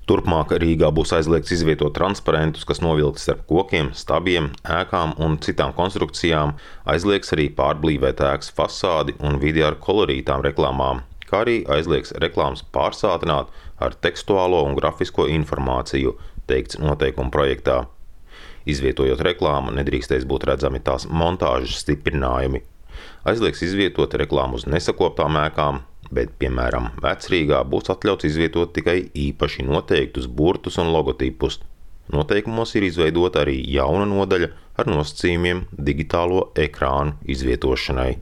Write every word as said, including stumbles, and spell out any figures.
Turpmāk Rīgā būs aizliegts izvietot transparentus, kas novilkti starp kokiem, stabiem, ēkām un citām konstrukcijām, aizliegs arī pārblīvēt ēkas fasādi un vidi ar kolorītām reklāmām, kā arī aizliegs reklāmas pārsātināt ar tekstuālo un grafisko informāciju, teikts noteikuma projektā. Izvietojot reklāmu, nedrīkstēs būt redzami tās montāžas stiprinājumi. Aizliegs izvietot reklāmu uz nesakoptām ēkām, bet, piemēram, Vecrīgā būs atļauts izvietot tikai īpaši noteiktus burtus un logotipus. Noteikumos ir izveidota arī jauna nodaļa ar nosacījumiem digitālo ekrānu izvietošanai.